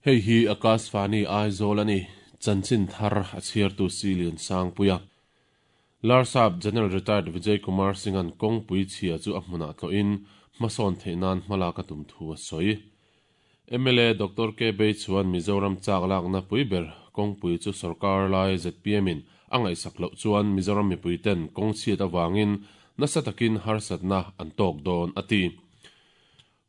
Hei hi Akashvani Aizawl a ni, chanchin thar a chhiartu Silian Sangpuia. Larsap General Retired Vijay Kumar Singh-a'n kawngpui chhia chu a hmunah tlawhin hmasawn theih nan hmalak a tum thu a sawi. Mla Doctor K Bei chuan Mizoram chak lakna pui ber kawngpui chu sorkar lai ZPM-in a ngaihsak loh chuan Mizoram mipuiten kawng chhiat avangin nasa takin harsatna an tawk dawn a ti.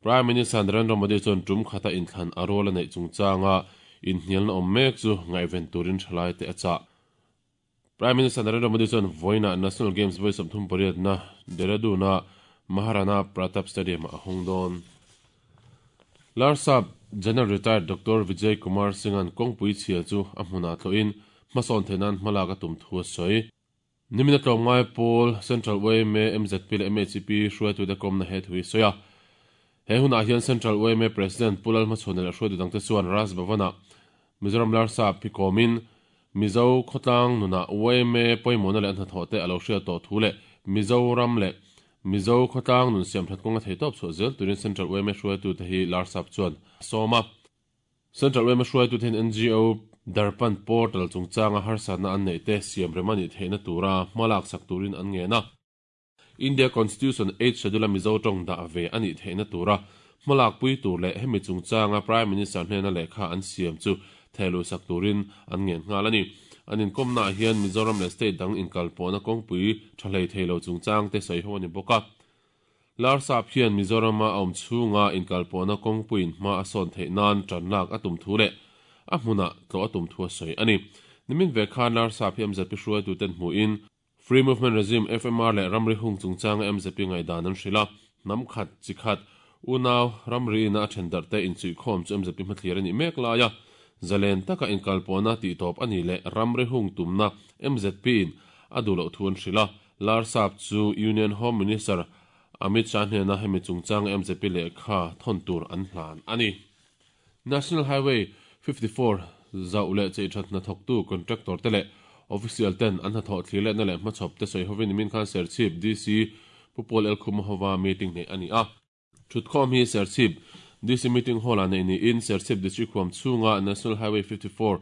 Prime Minister Narendra Modi chuan tum khata inthlan a rual a neih chungchanga inhnialna awm mek chu ngaihven turin thalaite a chah. Prime Minister Narendra Modi chuan vawiinah National Games vawi 38 na Dehradun-a Maharana Pratap Stadium-ah a hawng dawn. Larsap General Retired Doctor Vijay Kumar Singh-a'n kawngpui chhia chu a hmunah tlawhin hmasawn theih nan hmalak a tum thu a sawi. Nimina tlawmngai pawl Central yma, mzp leh MHP hruaitute kawmna he thu hi sawi a. He hunah hian Central yma President Pu Lalhmachhuana leh hruaitu dangte chuan Raj Bhavan-ah Mizoram Larsap hi kawmin Mizo khawtlang nunah yma pawimawhna leh a hnathawh te a lo hriat tawh thu leh Mizoram leh Mizo khawtlang nun siamthat kawnga theihtawp chhuah zel turin Central yma hruaitute hi Larsap chuan a sawm a. Central yma hruaitute hian NGO Darpan Portal chungchanga harsatna an neih te siamrem a nih theihna tura hmalak sak turin an ngen a. India Constitution Eighth Schedule-a Mizo tawng dah ve a nih theihna tura hmalakpui tur leh hemi chungchanga Prime Minister hnena lehkha an siam chu thehluhsak turin an ngen nghal a ni. An inkawmnaah hian Mizoram leh state dang inkalpawhna kawngpui tha hlei thei lo chungchang te sawi ho a ni bawk a. Larsap hian Mizorama a awm chhunga inkalpawhna kawngpuiin hma a sawn theih nan tanlak a tum thu leh a hmunah tlawh a tum thu a sawi a ni. Nimin ve khan Larsap hi MZP hruaituten hmuhin Free Movement Regime, FMR, leh ramri hung chungchanga MZP ngaihdan an hrilh a, hnam khat, chi khat, unau, ramri ina a then darh te inchuihkhawm chu MZP hmathlir a nih mek lai a, zalen taka inkalpawhna tihtawp a nih leh ramri hung tumna MZP in a duh loh thu an hrilh a, Larsap chu Union Home Minister Amit Shah hnena hemi chungchanga MZP lehkha thawn tur an hlan a ni. National Highway 54 zauh leh cheithat hnathawktu contractor te leh official ten an hnathawh thlirletna leh hmachhawp te sawi hovin nimin khan Serchhip DC Pu Paul Elkhuma hova meeting neih a ni a. Thutkhawm hi Serchhip DC Meeting Hall ah neih niin Serchhip District huam chhunga National Highway 54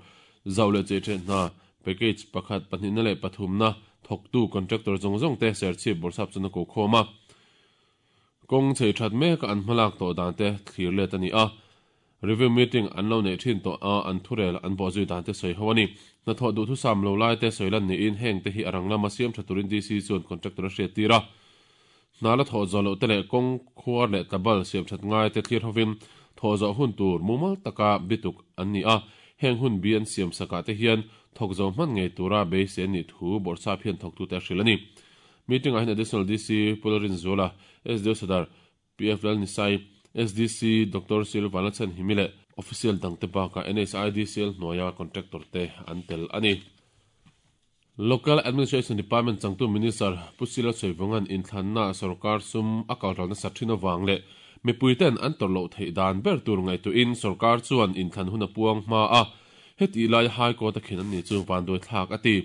zauh leh cheithat hna package pakhat, pahnihna leh pathumna thawktu contractor zawng zawng te Serchhip bawrhsap chuan a kokhawm a. Kawng chei that mek a an hmalak tawh dan te thlir let a ni a, review meeting an lo neih thin tawh a an thurel an bawhzui dan te sawi ho a ni. Hnathawh duhthusam lo lai te sawi lan niin heng te hi a rang lama siam tha turin DC chuan contractor a hriat tir a. Hna la thawh zawh loh te leh kawng khuar leh tlabal siam that ngai te thlir hovin thawh zawh hun tur mumal taka bituk an ni a, heng hun bi an siam sakah te hian thawk zo hman ngei tura beisei an nih thu Bawrhsap hian thawktute a hrilh a ni. Meeting ah hian Additional DC Pu Lalrinzuala, SDO Sadar PF Lalnisai, SDC Doctor Sil Vanlalchhanhimi leh Official dangte bakah NHIDCL hnuaia contractor te an tel a ni. Local Administration Department changtu Minister Pu Sila Sawivawnga'n inthlanna sorkar sum a kalral nasat thin avang leh mipuiten an tawrh loh theih dan ber tur ngaihtuahin sorkar chuan inthlan hun a puang hma a, hetih laia High Court a khin an ni chu vanduaithlak a ti.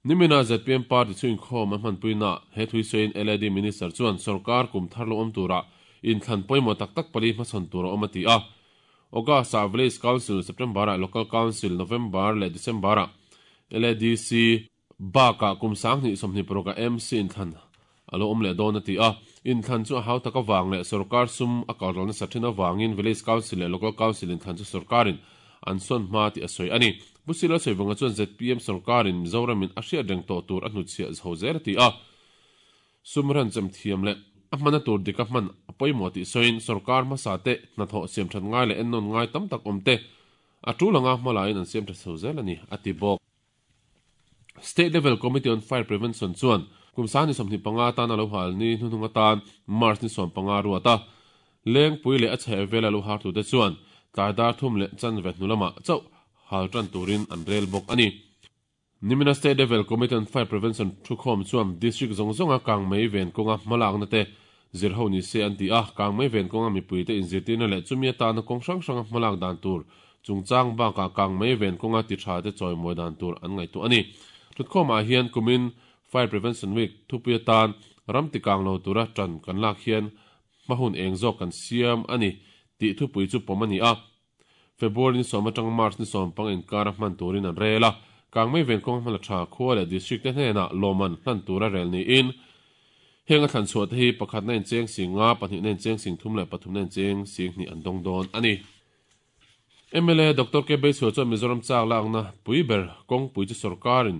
Nimina zpm party chu inkhawm a hmanpuina he thui sawiin LAD Minister chuan sorkar kum thar lo awm turah inthlan pawimawh tak tak pali hmachhawn tur a awm a ti a. August-ah Village Council, September-ah Local Council, November leh December-ah LADC bakah kum 2026-ah MC inthlan a lo awm leh dawn a ti a. Inthlan chu a hau tak avang leh sorkar sum a kalral nasa thin avangin Village Council leh Local Council inthlan chu sorkarin an sawn hma tih a sawi a ni. Pu Silo Sawivawnga chuan zpm sorkarin Mizoramin a hriat reng tawh tur a hnutchhiah chho zel a ti a. Sum ranchem thiam leh a hmana tur dika hman a pawimawh tih sawiin sorkar hmasa te hnathawh siamthat ngai leh ennawn ngai tam tak awm te a tul anga hmalaiin an siamtha chho zel a ni a ti bawk. State Level Committee on Fire Prevention chuan kum 2025 atana lo hal ni hnuhnung atan March ni 15 ruat a, Lengpui leh a chhehvela lo hartute chuan tlai dar thum leh chanve hnu lamah chauh hal tan turin an rel bawk a ni. Nimina State Level Committee on Fire Prevention thukhawm chuan District zawng zawnga kangmei ven kawnga hmalakna te zir ho ni se an ti a, kangmei ven kawnga mipuite inzirtirna leh chumi atana kawng hrang hranga hmalak dan tur chungchang bakah kangmei ven kawnga ti tha te chawimawi dan tur an ngaihtuah a ni. Thutkhawmah hian kumin Fire Prevention Week thupui atan ram ti kang lo tura tan kan lak hian hma hun eng zawk kan siam a ni tih thupui chu pawm a ni a. February ni sawm atanga March ni sawmpang inkara hman turin an rel a, kangmei ven kawng hmala tha khua leh district te hnenah lawmman hlan tura rel niin heng a thlan chhuah te hi pakhatna incheng sing nga, pahnihna incheng sing thum leh pathumna incheng sing hnih an dawng dawn a ni. Mla Doctor K Beisua chuan Mizoram chak lakna pui ber kawngpui chu sorkarin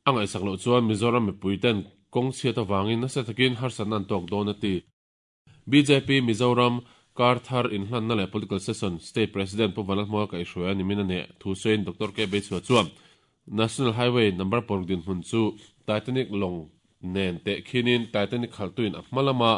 a ngaihsak loh chuan Mizoram mipuiten kawng chhiat avangin nasa takin harsatna an tawk dawn a ti. Bjp Mizoram kar thar inhlanna leh Political Session State President Pu Vanlalhmuaka kaihhruai a nimin a neh thu sawiin Doctor K Beichhua chuan National Highway number paruk dinhmun chu Titanic lawng nen tehkhinin Titanic khalhtuin a hma lama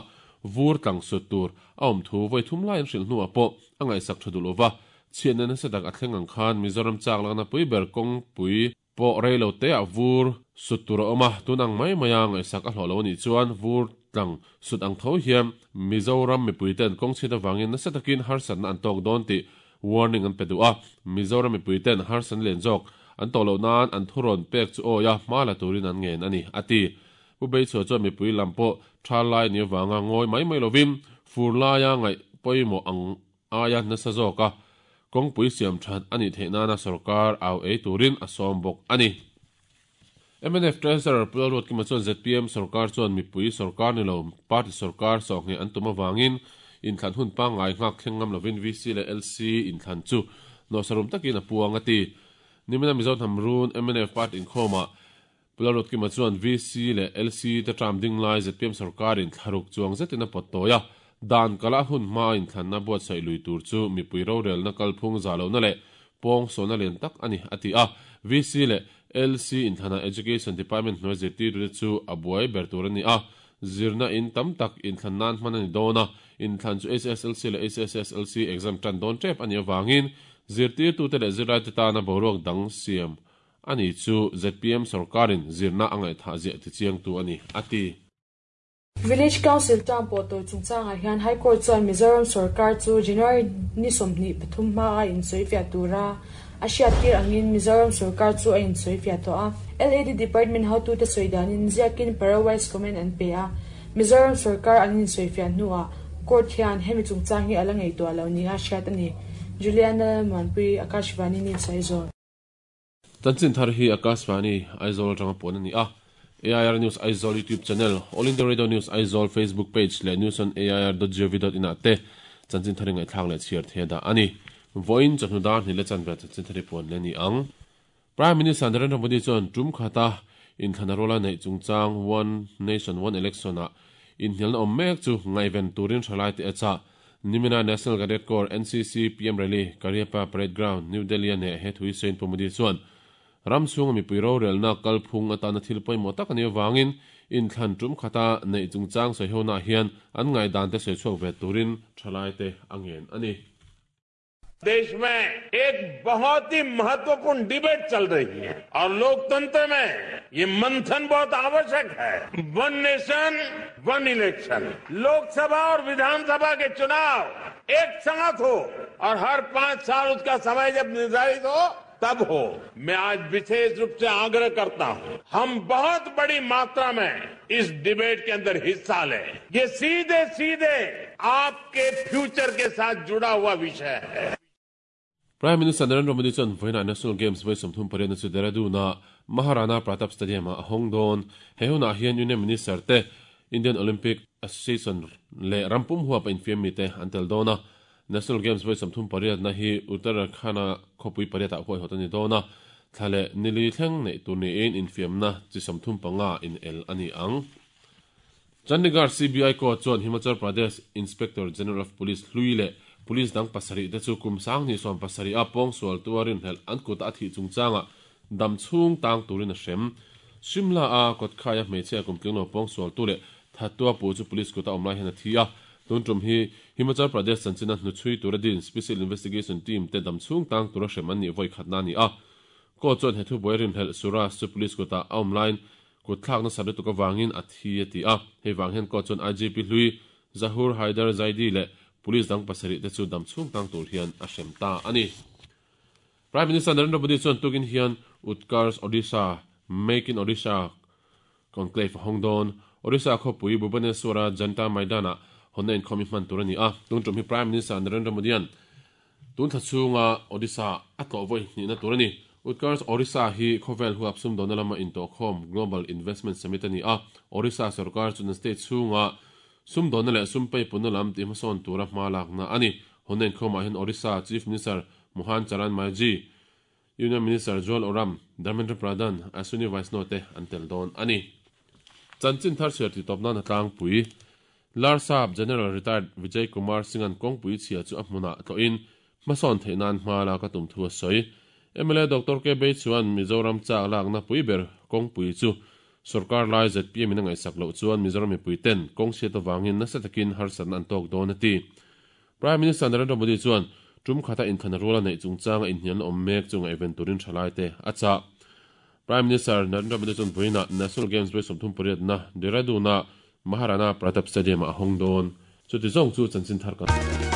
vur tlang sut tur a awm thu vawi thum lai an hrilh hnuah pawh a ngaihsak tha duh lova chhiatna nasa tak a thleng ang khan Mizoram chak lakna pui ber kawngpui pawh rei lo te ah vur sut tur a awm a, tun ang mai maia ngaihsak a hlawh lo a nih chuan vur tlang sut ang tho hian Mizoram mipui ten kawng chhiat avangin nasa takin harsatna an tawk dawn tih warning an pe duh a, Mizoram mipui ten harsatna lian zawk an tawh loh nan an thurawn pek chu awi a, hma la turin an ngen a ni, a ti. Pu Beichhua chuan mipui lam pawh tha lai ni avanga ngawi mai mai lovin fur laia ngaih pawimawh ang aia nasa zawka kawngpui siam that a nih theih nana sorkar au ei turin a sawm bawk a ni. Mnf Treasurer Pu Lalruatkima chuan zpm sorkar chuan mipui sorkar ni lo party sorkar sawhngheh an tum avangin inthlan hun pangngai nghak thleng ngam lovin VC leh LC inthlan chu nawhsarum takin a puang a ti. Nimina Mizo hnam run mnf party inkhawmah Pu Lalruatkima chuan VC leh LC te term ding lai zpm sorkarin thlaruk chuang zetin a pawt tawi a, dan kala hun hmaa inthlanna buatsaih lui tur chu mipui rorelna kalphung zah lohna leh pawng sawhna lian tak a ni, a ti a. VC leh LC inthlanah Education Department hnuai zirtirtute chu a buai ber tur a ni a, zirna in tam tak inthlan nan hman a ni dawn a, inthlan chu HSLC leh HSSLC exam tan dawn tep a nih avangin zirtirtute leh zirlaite tana boruak dang siam Ani chu zpm sorkarin zirna a ngaihthah ziah tichiangtu a ni, a ti. Village Council term pawh tawi chungchangah hian High Court chuan Mizoram sorkar chu January ni 23 hmaa insawifiah tura a hriattir angin Mizoram sorkar chu a insawifiah tawh a. LAD Department hotute sawi danin ziakin para-wise comment an pe a, Mizoram sorkar an insawifiah hnuah Court hian hemi chungchang hi a la ngaihtuah lo nia hriat a ni. Juliana Lalmuanpui, Akashvani News Aizawl. Chanchin thar hi Akashvani, Aizawl atanga puan a ni a. AIR News Aizawl YouTube channel, All India Radio News Aizawl Facebook page leh news on air dot gov dot in ah te chanchin thar hi ngaihthlak leh chhiar thei a dah a ni. Vawiin chawhnu dar hnih leh chanve chanchin thar hi puan leh a ni ang. Prime Minister Narendra Modi chuan tum khata inthlan a ruala neih chungchang One Nation One Election ah inhnialna awm mek chu ngaihven turin thalaite a chah. Nimina National Cadet Corps, NCC, PM Rally, Kariappa Parade Ground, New Delhi-a neh he thu hi sawiin Pu Modi chuan ram chhunga mipui rorelna kalphung atana thil pawimawh tak a nih avangin inthlan tum khata neih chungchang sawihonaah hian an ngaihdan te sawi chhuak ve turin thalaite a ngen a ni. देश में एक बहुत ही महत्वपूर्ण डिबेट चल रही है और लोकतंत्र में ये मंथन बहुत आवश्यक है। One nation one election, Lok Sabha और विधानसभा के चुनाव एक साथ हो और हर 5 साल उसका समय जब निर्धारित हो तब हो। मैं आज विशेष रूप से आग्रह करता हूं, हम बहुत बड़ी मात्रा में इस डिबेट के अंदर हिस्सा लें। ये सीधे सीधे आपके फ्यूचर के साथ जुड़ा हुआ विषय है। Prime Minister Narendra Modi chuan vawiinah National Games vawi 38 na chu Dehradun-a Maharana Pratap Stadium-ah a hawng dawn. He hunah hian Union Minister te, Indian Olympic Association leh ram pum huap a infiam mite an tel dawn a. National Games vawi 38 na hi Uttarakhand-a khawpui pariatah huaihawt a ni dawn a, thla leh nili thleng neih tur niin infiamna chi 35 inel a ni ang. Chandigarh CBI Court chuan Himachal Pradesh Inspector General of Police hlui leh Police dang pasarih te chu kum sanghnih 70 a pawngsual tua rinhlelh an kuta a thih chungchangah dam chhung tang turin a hrem. Shimla a kawtkhaia hmeichhia kum tlinglo pawngsual tu leh thattua pu chu Police kuta awm lai hian a thi a. Tun tum hi Himachal Pradesh chanchina hnuchhui tura din Special Investigation Team te dam chhung tang tura hrem an nih vawi khatna a ni a. Court chuan he thubuai rinhlelh Suraj chu Police kuta a awm laiin Kut thlak nasa lutuk avangin a thi a ti a, hei vang hian court chuan IGP hlui Zahur Haider Zaidi leh police dang pasarih te chu dam chhung tang tur hian a hrem ta a ni. Prime Minister Narendra Modi chuan tukin hian Utkarsh Odisha, Make in Odisha Conclave a hawng dawn. Odisha khawpui Bhubaneswar-a Janta Maidan-ah hawnna inkhawm hi hman tur a ni a, tun tum hi Prime Minister Narendra Modi-a'n Tun thla chhunga Odisha a tlawh vawi hnihna tur a ni. Utkarsh Orissa hi khawvel huap sumdawnna lama intawhkhawm Global Investment Summit a ni a, Orissa sorkar chuan state chhunga sumdawnna leh sum peipunna lam tihhmasawn tura hma lakna a ni. Hawnna inkhawmah hian Orissa Chief Minister Mohan Charan Majhi, Union Minister Jual Oram, Dharmendra Pradhan, Ashwini Vaishnaw te an tel dawn a ni. Chanchin thar chhiar tih tawp nan a tlangpui. Larsap General Retired Vijay Kumar Singh-a'n kawngpui chhia chu a hmunah tlawhin hmasawn theih nan hma lak a tum thu a sawi. Mla Doctor K Bei chuan Mizoram chak lakna pui ber kawngpui chu sorkar lai zpm in a ngaihsak loh chuan Mizoram mipui ten kawng chhiat avangin nasa takin harsatna an tawk dawn a ti. Prime Minister Narendra Modi chuan tum khata inthlan rual a neih chungchanga inhnialna awm mek chu ngaihven turin thalaite a chah. Prime Minister Narendra Modi chuan vawiinah National Games vawi 38 na Dehradun-a Maharana Pratap Stadium-ah a hawng dawn. Chuti zawng chu chanchin thar kan.